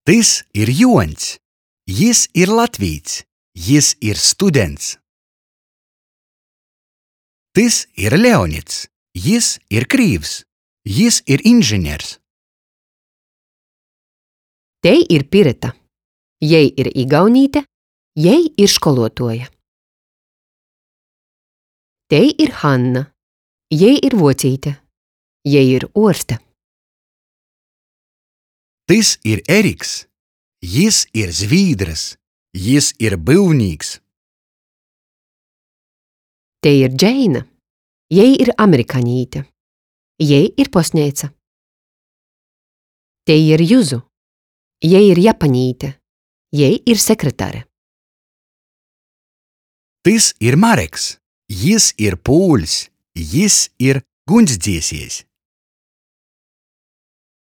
Tys ir Juoņs. Jis ir latvīts. Jis ir students. Tys ir Leonids. Jis ir krīvs. Jis ir inženers. Tei ir Pireta. Jei ir igaunīte, jei ir školuotuoja. Tei ir Hanna. Jei ir vuocīte. Jei ir uorste. Tys ir Eriks. Jis ir zvīdrys. Jis ir byuvnīks. Tei ir Džeina. Jei ir amerikaņīte. Jei ir postneica. Tei ir Juzu. Jei ir japaņīte. Jei ir sekretare. Tys ir Mareks. Jis ir pūļs. Jis ir guņsdziesiejs.